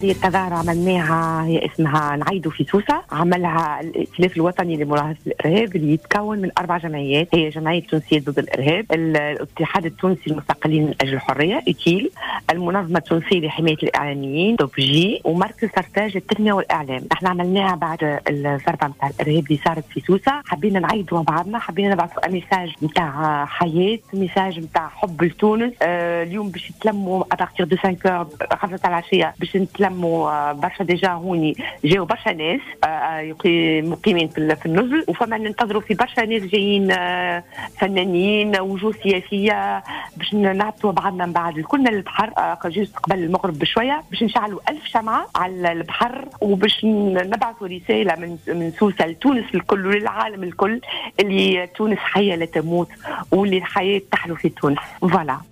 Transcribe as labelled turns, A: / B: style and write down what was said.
A: هذه التظاهرة عملناها، هي اسمها نعيدوا في سوسة، عملها الائتلاف الوطني لمناهضة الإرهاب اللي يتكون من 4 جمعيات، هي جمعية تونسية ضد الإرهاب، الاتحاد التونسي للمستقلين من أجل الحرية إتيل، المنظمة التونسية لحماية الإعلاميين توبجي، ومركز سرتاج للتنمية والإعلام. احنا عملناها بعد الضربة نتاع الإرهاب اللي صارت في سوسة، حبينا نعيدوا مع بعضنا، حبينا نبعثوا message نتاع حياة، message نتاع حب لتونس. اليوم باش يتلموا à partir de 5، 5 العشية باش نتلموا برشا. déjà هوني جاوا برشا ناس مقيمين في النزل، وفما ننتظروا في برشا ناس جايين، فنانين، وجوه سياسيه، باش نهبطوا بعضنا من بعد كلنا للبحر juste قبل المغرب بشويه، باش نشعلوا 1000 شمعة على البحر، وباش نبعثوا رسالة من سوسة لتونس الكل وللعالم الكل اللي تونس حيه لا تموت واللي الحياة تحلو في تونس. voilà.